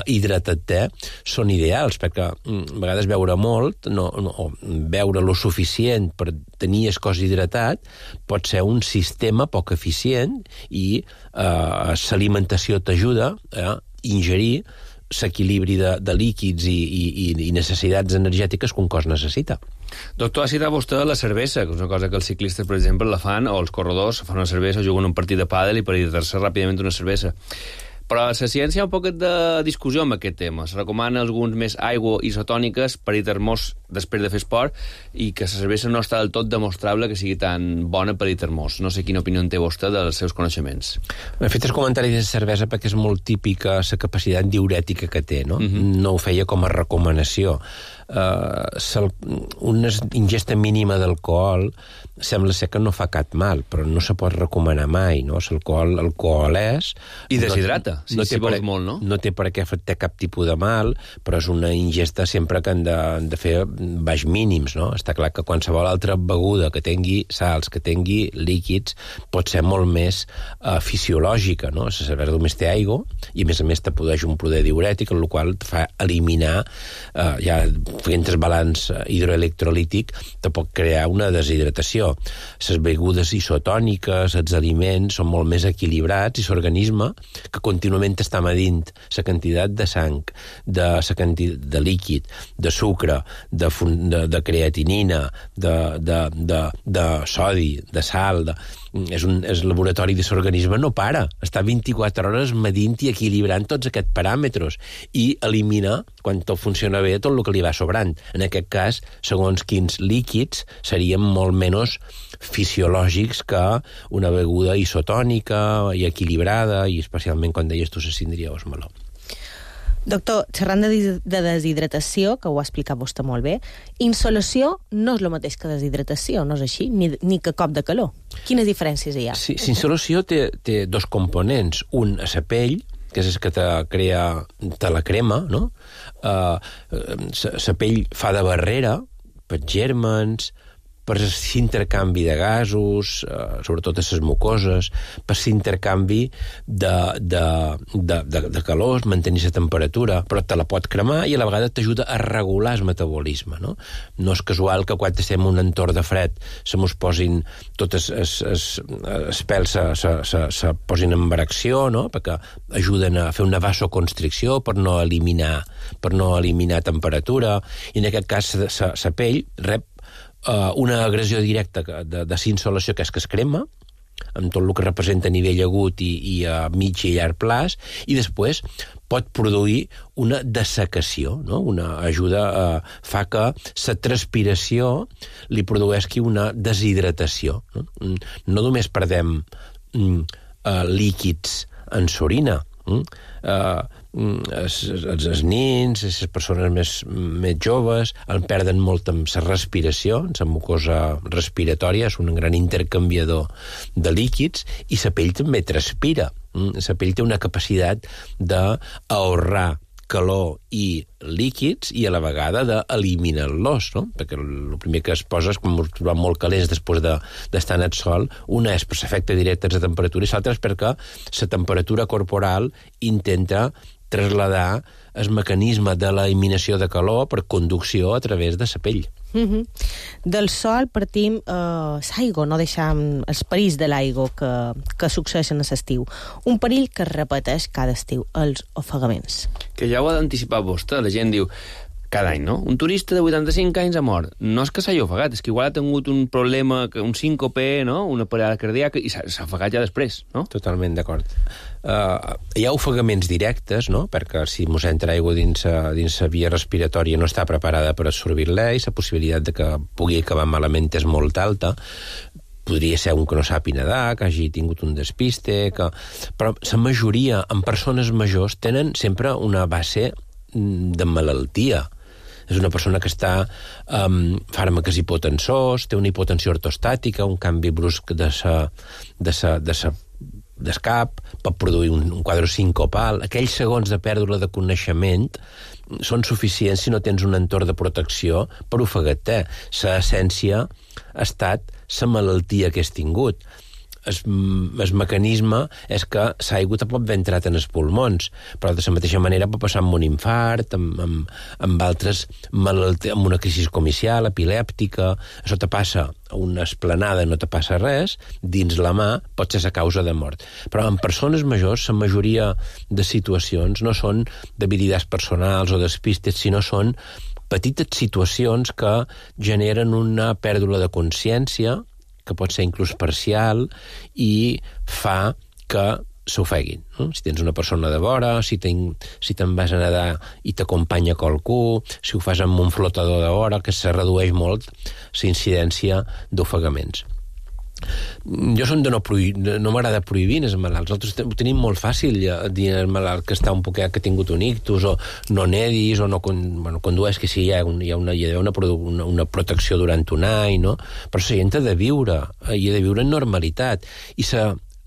hidratar-te, són ideals, perquè a vegades beure molt, o beure lo suficient per tenir el cos hidratat, pot ser un sistema poc eficient i l'alimentació t'ajuda a ingerir l'equilibri de líquids i necessitats energètiques que un cos necessita. Doctor, ha citat vostè la cervesa, que és una cosa que els ciclistes, per exemple, la fan, o els corredors fan una cervesa o juguen un partit de pàdel i per hidratar-se ràpidament una cervesa. Però a la ciència hi ha un poquet de discussió amb aquest tema. Es recomana alguns més aigua isotòniques per hidratar-nos després de fer esport i que la cervesa no està del tot demostrable que sigui tan bona per hidratar-nos. No sé quina opinió en té vostè dels seus coneixements. He fet el comentari de la cervesa perquè és molt típica la capacitat diurètica que té, no? No ho feia com a recomanació. Una ingesta mínima d'alcohol sembla ser que no fa cap mal, però no se pot recomanar mai, no? L'alcohol és... I deshidrata, si vols molt, no? No té per què fer cap tipus de mal, però és una ingesta sempre que han de fer baix mínims, no? Està clar que qualsevol altra beguda que tingui sals, que tingui líquids, pot ser molt més fisiològica, no? La cervesa només té aigua i, a més, te produeix un poder diurètic, el qual et fa eliminar, ja fent el balanç hidroelectrolític, te pot crear una deshidratació. Les begudes isotòniques, els aliments, són molt més equilibrats i l'organisme, que contínuament està medint la quantitat de sang, de líquid, de sucre, de creatinina, de sodi, de sal, el laboratori de l'organisme no para, està 24 hores medint i equilibrant tots aquests paràmetres i elimina, quan tot funciona bé, tot el que li va sobrant. En aquest cas, segons quins líquids serien molt menys fisiològics que una beguda isotònica i equilibrada, i especialment quan deies tu la síndria o el meló. Doctor, xerrant de deshidratació, que ho ha explicat vostè molt bé, insolació no és el mateix que deshidratació, no és així? Ni que cop de calor. Quines diferències hi ha? Sí, insolació té dos components. Un, a la pell, que és el que te la crema, no? La pell fa de barrera per gèrmens, per l'intercanvi de gasos, sobretot a les mucoses, per l'intercanvi de calor, mantenir la temperatura, però te la pot cremar i a la vegada t'ajuda a regular el metabolisme, no? No és casual que quan estem en un entorn de fred se mos posin totes els pèls se posin en erecció, no? Perquè ajuden a fer una vasoconstricció per no eliminar temperatura, i en aquest cas la pell rep una agressió directa de insolació, que és que es crema, amb tot el que representa a nivell agut i a mig i llarg plaç, i després pot produir una dessecació, no? Fa que la transpiració li produeixi una deshidratació. No només perdem líquids en l'orina, els nins, les persones més joves en perden molt amb la respiració, la mucosa respiratòria és un gran intercanviador de líquids, i la pell també transpira. La pell té una capacitat d'ahorrar calor i líquids i a la vegada d'eliminar-los, no? Perquè el primer que es posa és quan ens trobem molt calents després d'estar en el sol, una és per l'efecte directe de la temperatura i l'altra és perquè la temperatura corporal intenta trasladar el mecanisme de l'eliminació de calor per conducció a través de la pell. Del sol partim l'aigua, no deixam els perills de l'aigua que succeeixen a l'estiu. Un perill que es repeteix cada estiu, els ofegaments. Que ja ho ha d'anticipar vostè. La gent diu, cada any, no? Un turista de 85 anys ha mort. No és que s'hagi ofegat, és que igual ha tingut un problema, un síncope, no? Una parada cardíaca, i s'ha ofegat ja després, no? Totalment d'acord. Hi ha ofegaments directes, no? Perquè si mos entra aigua dins la via respiratòria no està preparada per absorbir-la i la possibilitat de que pugui acabar malament és molt alta. Podria ser un que no sàpiga nedar, que hagi tingut un despiste, però la majoria, en persones majors, tenen sempre una base de malaltia. És una persona que està amb fàrmacs hipotensors, té una hipotensió ortostàtica, un canvi brusc d'escap, pot produir un quadre sincopal. Aquells segons de pèrdua de coneixement són suficients si no tens un entorn de protecció per ofegar-te. L'essència ha estat la malaltia que has tingut. El mecanisme és que l'aigua te pot haver entrat en els pulmons, però de la mateixa manera pot passar amb un infart, amb altres malalties, amb una crisi comicial, epilèptica. Això te passa a una esplanada, no te passa res, dins la mà pot ser la causa de mort. Però en persones majors, la majoria de situacions no són debilitats personals o despistes, sinó són petites situacions que generen una pèrdua de consciència, que pot ser inclús parcial, i fa que s'ofeguin. No? Si tens una persona de vora, si te'n vas a nedar i t'acompanya qualcú, si ho fas amb un flotador de vora, que se redueix molt la incidència d'ofegaments. Jo som de no m'agrada prohibir els malalts. Nosaltres ho tenim molt fàcil dir al malalt que està un poquet, que ha tingut un ictus, o no nedis, o no condueix, que sí, hi ha una protecció durant un any, no? Però la gent ha de viure, i ha de viure en normalitat, i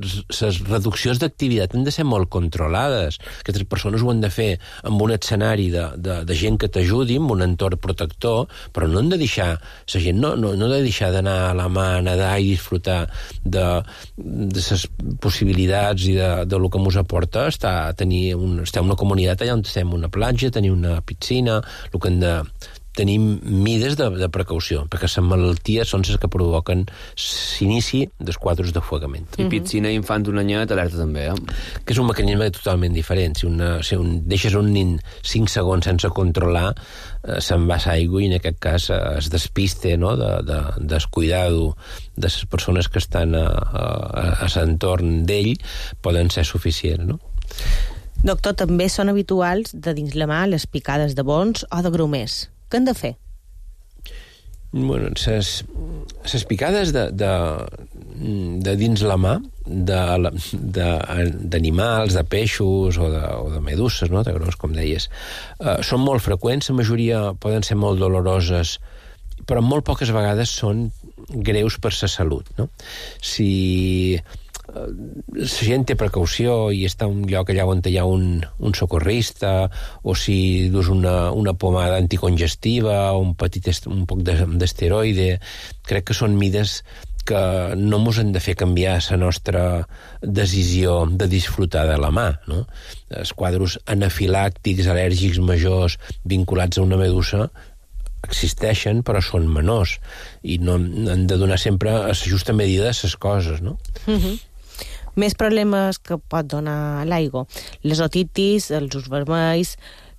les reduccions d'activitat han de ser molt controlades. Aquestes persones ho han de fer amb un escenari de gent que t'ajudi, amb un entorn protector, però no han de deixar, la gent no ha de deixar d'anar a la mà, nedar i disfrutar de les possibilitats i de lo que ens aporta estar una comunitat allà on estem, una platja, tenir una piscina, el que hem de tenim mides de precaució, perquè les malalties són les que provoquen l'inici dels quadres d'ofegament. I piscina infant un anyet, alerta també, Que és un mecanisme totalment diferent. Si deixes un nin 5 segons sense controlar, se'n va l'aigua i en aquest cas es despiste, no?, de descuidado de les persones que estan a l'entorn d'ell, poden ser suficients, no? Doctor, també són habituals de dins la mà les picades de bons o de grumers. Què han de fer? Bueno, les picades de dins la mà, d'animals, de peixos o de meduses, no?, de gros, com deies, són molt freqüents, la majoria poden ser molt doloroses, però molt poques vegades són greus per la salut, no? Si la gent té precaució i està en un lloc allà on hi ha un socorrista, o si dus una pomada anticongestiva o un poc d'esteroide, crec que són mides que no mos han de fer canviar la nostra decisió de disfrutar de la mà, no? Els quadres anafilàctics, al·lèrgics majors vinculats a una medusa existeixen, però són menors, i no han de donar sempre a la justa medida les coses, no? Més problemes que pot donar l'aigua. Les otitis, els ulls vermells,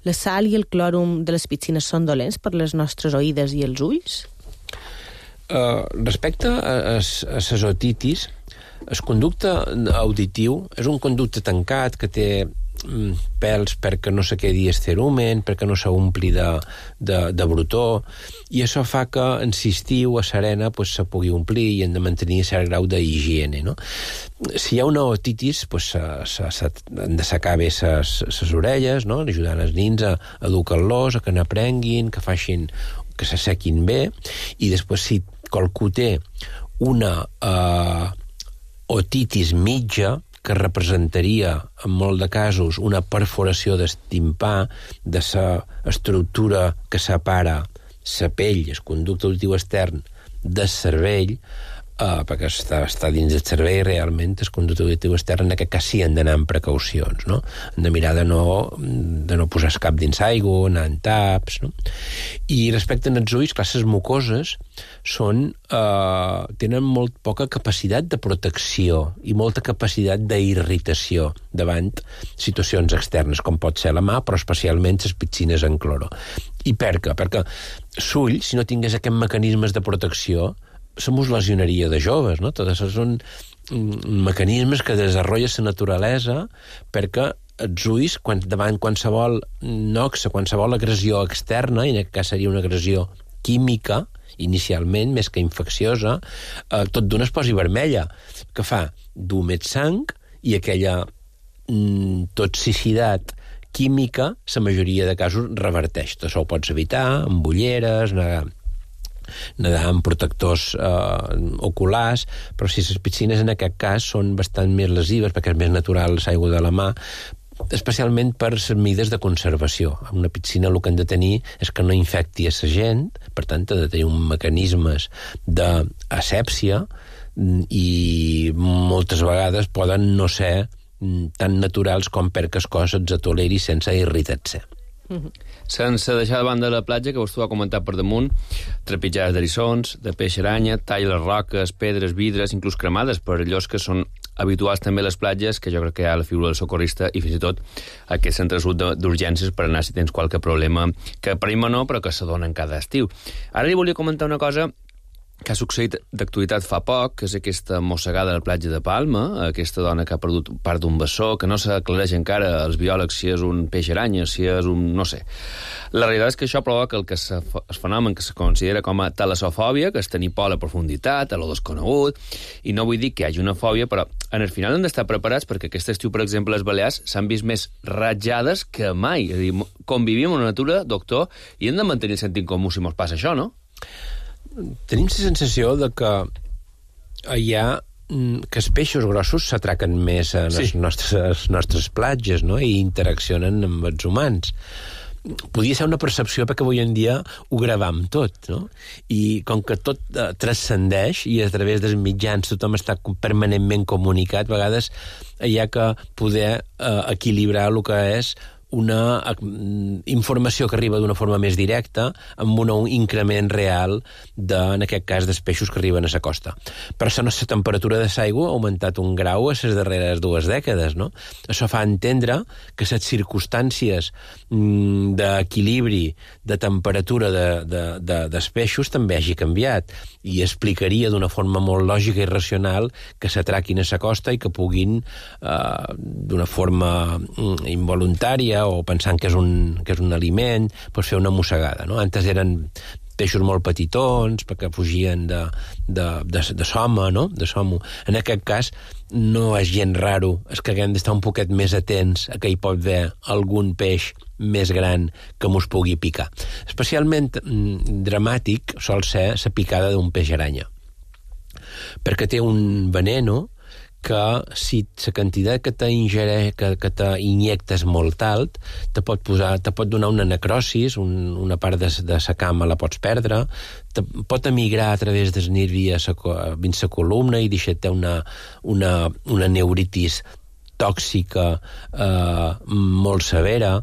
la sal i el clòrum de les piscines són dolents per les nostres oïdes i els ulls? Respecte a les otitis, el conducte auditiu és un conducte tancat que té pèls perquè no se quedi esterumen, perquè no s'ompli de brutó, i això fa que en l'estiu a Serena se pugui omplir i hem de mantenir cert grau d'higiene, no? Si hi ha una otitis, han de secar bé les orelles, no? Ajudant els nins a educar-los, a que n'aprenguin, que s'assequin bé, i després si qualcú té una otitis mitja, que representaria, en molt de casos, una perforació del timpà, de la estructura que separa la pell, el conducte auditiu extern, del cervell, perquè està dins del cervell realment, el conducte auditiu extern, en aquest cas sí han d'anar amb precaucions, no? Han de mirar de no posar el cap dins aigua, anar en taps, no? I respecte als ulls, clar, les mucoses tenen molt poca capacitat de protecció i molta capacitat d'irritació davant situacions externes, com pot ser la mà, però especialment les piscines en cloro. I per què? Perquè l'ull, si no tingués aquests mecanismes de protecció, se mos lesionaria de joves, no? Tots són mecanismes que desenvolupa la naturalesa perquè els ulls, davant qualsevol noxa, qualsevol agressió externa, i en aquest cas seria una agressió química, inicialment, més que infecciosa, tot d'una es posi vermella. Què fa? Du més sang i aquella toxicitat química, la majoria de casos, reverteix. Tot això ho pots evitar amb ulleres, nedar amb protectors oculars, però si les piscines en aquest cas són bastant més lesives, perquè és més natural l'aigua de la mà, especialment per les mides de conservació. En una piscina el que han de tenir és que no infecti a la gent, per tant ha de tenir un mecanismes d'asèpsia, i moltes vegades poden no ser tan naturals com perquè el cos els toleri sense irritar-se. Sense deixar de banda la platja, que vostè ho ha comentat per damunt, trepitjades d'eriçons, de peix aranya, tall les roques, pedres, vidres, inclús cremades per allòs que són habituals també a les platges, que jo crec que hi ha la figura del socorrista i fins i tot aquest centre d'urgències per anar si tens qualque problema, que per no, però que s'adonen cada estiu. Ara li volia comentar una cosa que ha succeït d'actualitat fa poc, que és aquesta mossegada a la platja de Palma, aquesta dona que ha perdut part d'un bessó, que no s'aclareix encara als biòlegs si és un peix aranya, si és un... no sé. La realitat és que això provoca el fenomen que se considera com a talassofòbia, que és tenir por a la profunditat, a lo desconegut, i no vull dir que hi hagi una fòbia, però en el final hem d'estar preparats perquè aquest estiu, per exemple, les Balears s'han vist més ratjades que mai. És a dir, convivim amb la natura, doctor, i hem de mantenir el sentit comú si mos passa això, no? Tenim la sensació de que hi ha que els peixos grossos s'atraquen més a les nostres platges, no? I interaccionen amb els humans. Podia ser una percepció perquè avui en dia ho gravam tot, no? I com que tot transcendeix i a través dels mitjans tothom està permanentment comunicat, a vegades hi ha que poder equilibrar el que és una informació que arriba d'una forma més directa amb un increment real en aquest cas dels peixos que arriben a la costa. Per això la temperatura de l'aigua ha augmentat 1 grau a les darreres 2 dècades, no? Això fa entendre que les circumstàncies d'equilibri de temperatura dels peixos també hagi canviat i explicaria d'una forma molt lògica i racional que s'atraquin a la costa i que puguin d'una forma involuntària o pensant que és un aliment, doncs fer una mossegada, no? Antes eren peixos molt petitons, perquè fugien de soma, no? De somo. En aquest cas, no és gens raro, és que haguem d'estar un poquet més atents a que hi pot haver algun peix més gran que mos pugui picar. Especialment dramàtic sol ser la picada d'un peix aranya. perquè té un veneno que si la quantitat que t'injectes molt alt te pot donar una necrosis, una part de la cama la pots perdre, pot emigrar a través dels nervis dins la columna i deixar-te una neuritis tòxica molt severa.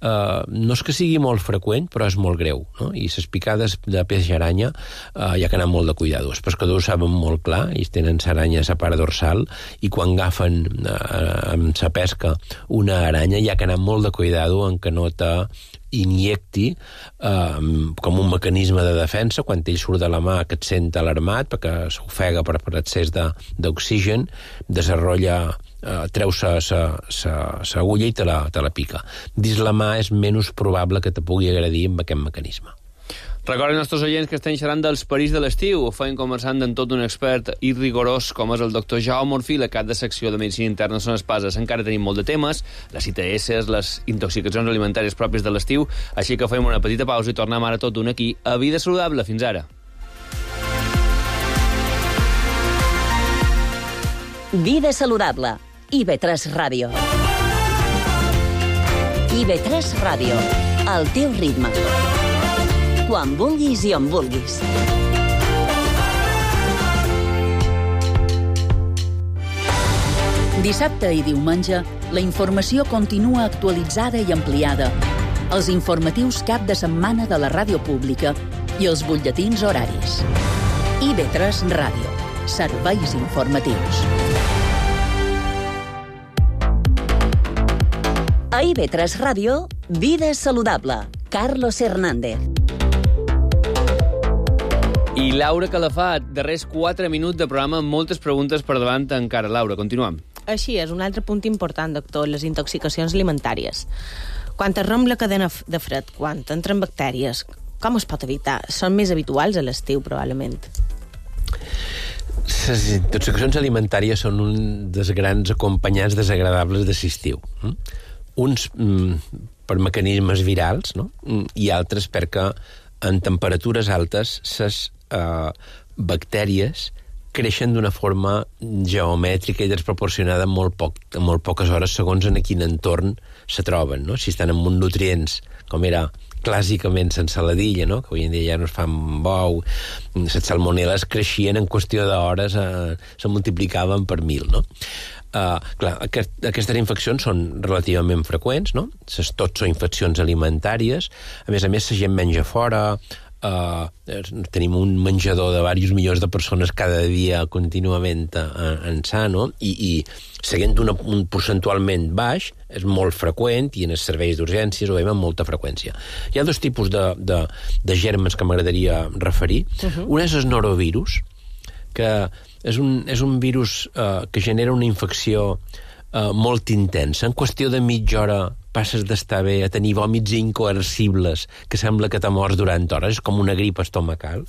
No és que sigui molt freqüent, però és molt greu, no? I les picades de peix aranya hi ha que anar molt de cuidado. Els pescadors saben molt clar, ells tenen l'aranya a la part dorsal, i quan agafen amb la pesca una aranya hi ha que anar molt de cuidado en que no t'injecti com un mecanisme de defensa. Quan ell surt de la mà que et sent alarmat perquè s'ofega per excés d'oxigen, treu l'agulla i te la pica. Dins la mà és menys probable que te pugui agredir amb aquest mecanisme. Recorden als nostres oients que estem xerrant dels perills de l'estiu. Ho feien conversant amb tot un expert i rigorós com és el doctor Jaume Orfila, cap de secció de Medicina Interna Son Espases. Encara tenim molt de temes, les ITS, les intoxicacions alimentàries pròpies de l'estiu, així que fem una petita pausa i tornem ara tot d'un aquí a Vida Saludable. Fins ara. Vida Saludable. IB3 Ràdio. IB3 Ràdio. El teu ritme. Quan vulguis i on vulguis. Dissabte i diumenge, la informació continua actualitzada i ampliada. Els informatius cap de setmana de la ràdio pública i els butlletins horaris. IB3 Ràdio. Serveis informatius. A IB3 Ràdio, Vida Saludable. Carlos Hernández. I Laura Calafat, darrers 4 minuts de programa amb moltes preguntes per davant encara. Laura, continuem. Així és, un altre punt important, doctor, les intoxicacions alimentàries. Quan es romp la cadena de fred, quan entren bactèries, com es pot evitar? Són més habituals a l'estiu, probablement. Les intoxicacions alimentàries són un dels grans acompanyants desagradables de l'estiu. Uns per mecanismes virals, no? I altres perquè en temperatures altes les bactèries creixen d'una forma geomètrica i desproporcionada en molt poques hores segons en quin entorn se troben, no? Si estan en uns nutrients, com era clàssicament l'ensaladilla, no? Que avui en dia ja no es fan bou, les salmonel·les creixien en qüestió d'hores, se multiplicaven per 1000, no? Clar, aquestes infeccions són relativament freqüents, no? Tots són infeccions alimentàries. A més, la gent menja fora, tenim un menjador de diversos milions de persones cada dia contínuament ençà, no? I seguint un percentualment baix, és molt freqüent, i en els serveis d'urgències ho veiem amb molta freqüència. Hi ha dos tipus de gèrmens que m'agradaria referir. Un és el norovirus, que és un virus que genera una infecció molt intensa. En qüestió de mitja hora passes d'estar bé a tenir vòmits incoercibles que sembla que t'ha mort durant hores, és com una grip estomacal,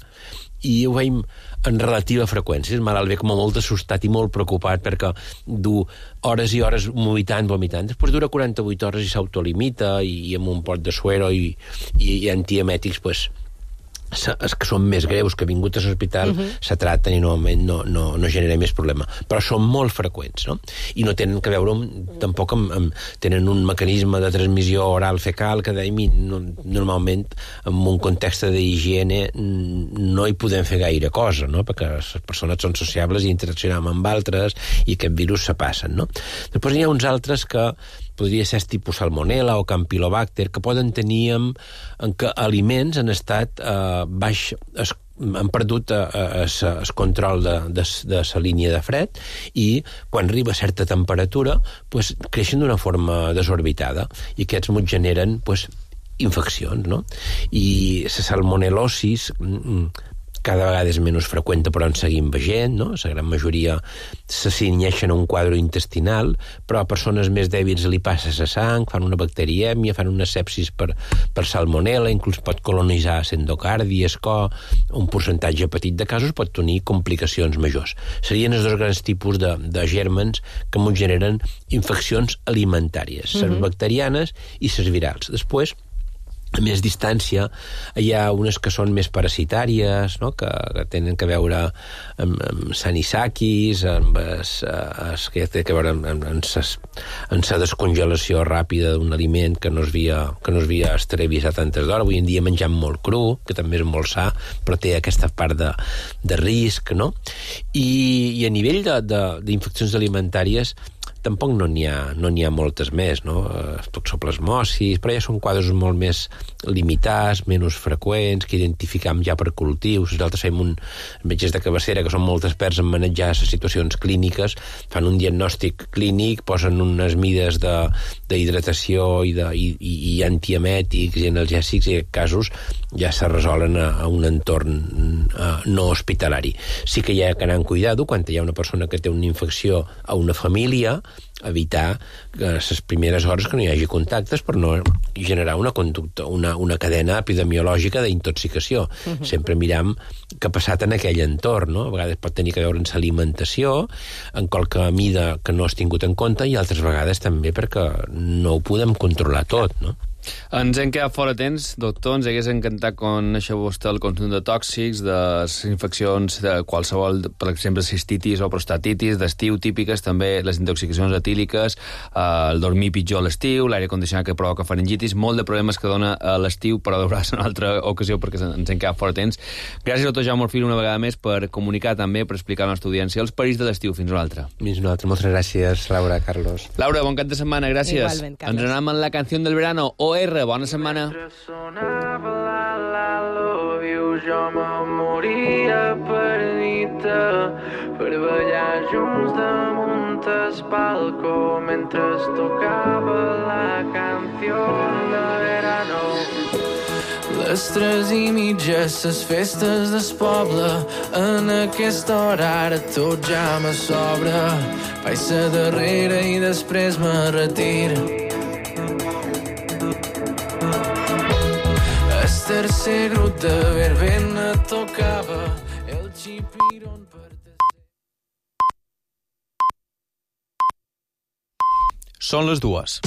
i ho veiem en relativa freqüència. El malalt ve com a molt assustat i molt preocupat perquè du hores i hores vomitant. Després dura 48 hores i s'autolimita, i amb un pot de suero i antiemètics, doncs, els que són més greus, que ha vingut a l'hospital, se traten i normalment no genera més problema. Però són molt freqüents, no? I no tenen que veure tampoc tenen un mecanisme de transmissió oral fecal que normalment en un context d'higiene no hi podem fer gaire cosa, no? Perquè les persones són sociables i interaccionem amb altres i aquest virus se passen, no? Després hi ha uns altres que podria ser tipus salmonella o campylobacter, que poden tenir en què aliments han estat baix, han perdut el control de la línia de fred, i quan arriba a certa temperatura creixen d'una forma desorbitada, i aquests ens generen infeccions, no? I la salmonel·losis cada vegada és menys freqüent, però en seguim veient, no? La gran majoria se cinyeixen a un quadre intestinal, però a persones més dèbils li passa a la sang, fan una bacterièmia, fan una sepsis per salmonella, inclús pot colonitzar l'endocardi, el cor, un percentatge petit de casos pot tenir complicacions majors. Serien els dos grans tipus de gèrmens que ens generen infeccions alimentàries, les bacterianes i les virals. Després, a més distància. Hi ha unes que són més parasitàries, no? que tenen a veure amb sanisakis, amb que té a veure amb la descongelació ràpida d'un aliment que no es havia esterevisat antes d'hora. Avui en dia mengem molt cru, que també és molt sa, però té aquesta part de risc, no? I a nivell d'infeccions alimentàries tampoc no n'hi ha moltes més, no? Toxoplasmosis, però ja són quadres molt més limitats, menys freqüents, que identificam ja per cultius. Nosaltres fem metges de cabecera, que són molt experts en manejar les situacions clíniques, fan un diagnòstic clínic, posen unes mides d'hidratació i antiemètics i analgèsics, i en casos ja se resolen a un entorn no hospitalari. Sí que hi ha que anar amb cuidado quan hi ha una persona que té una infecció a una família, evitar que les primeres hores que no hi hagi contactes per no generar una conducta, una cadena epidemiològica d'intoxicació. Sempre miram què ha passat en aquell entorn, no? A vegades pot tenir a veure amb l'alimentació, en qualque mida que no has tingut en compte, i altres vegades també perquè no ho podem controlar tot, no? Ens hem quedat fora temps, doctor. Ens hagués encantat conèixer vostè el consum de tòxics, de les infeccions de qualsevol, per exemple, cistitis o prostatitis, d'estiu típiques, també les intoxicacions etíliques, el dormir pitjor a l'estiu, l'aire condicionat que provoca faringitis, molt de problemes que dona a l'estiu, però deuràs en una altra ocasió perquè ens hem quedat fora temps. Gràcies, doctor Jaume Orfil, una vegada més per comunicar també, per explicar a la nostra audiència els perills de l'estiu. Fins una altra. Fins una altra. Moltes gràcies, Laura, Carlos. Laura, bon cap de setmana, gràcies. Igualment, Carlos. Ens anem amb la canció del verano. Bona setmana. Sonava la love you, jo me moria per dir-te, per ballar junts damunt el palco mentre es tocava la canció de verano. Les 3:30, les festes del poble, en aquesta hora ara tot ja me sobra. Vaig ser darrere i després me retiro. El tercer grup de verbena tocava el xipirón per tercer. Són les 2.